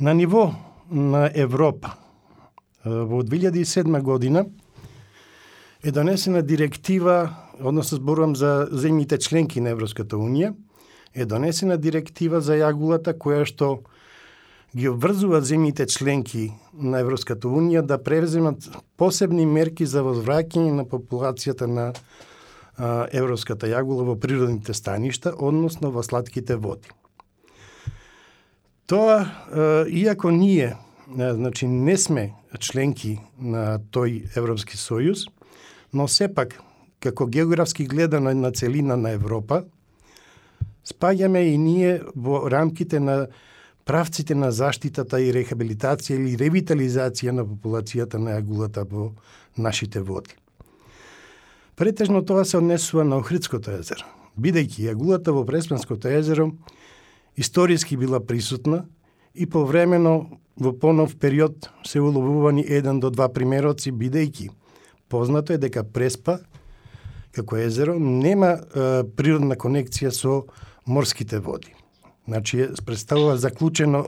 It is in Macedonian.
На ниво на Европа, во 2007 година е донесена директива, односно зборувам за земјите членки на Европската Унија, е донесена директива за јагулата која што ги обврзува земјите членки на Европската Унија да превземат посебни мерки за возвраќање на популацијата на европската јагула во природните станишта, односно во слатките води. Тоа, иако ние не сме членки на тој Европски сојуз, но сепак, како географски гледано на целина на Европа, спаѓаме и ние во рамките на правците на заштитата и рехабилитација или ревитализација на популацијата на јагулата во нашите води. Претежно тоа се однесува на Охридското езеро, бидејќи јагулата во Преспанското езеро историски била присутна и повремено во понов период се уловувани 1 до 2 примероци, бидејќи познато е дека Преспа како езеро нема природна конекција со морските води. Значи, представува заклучено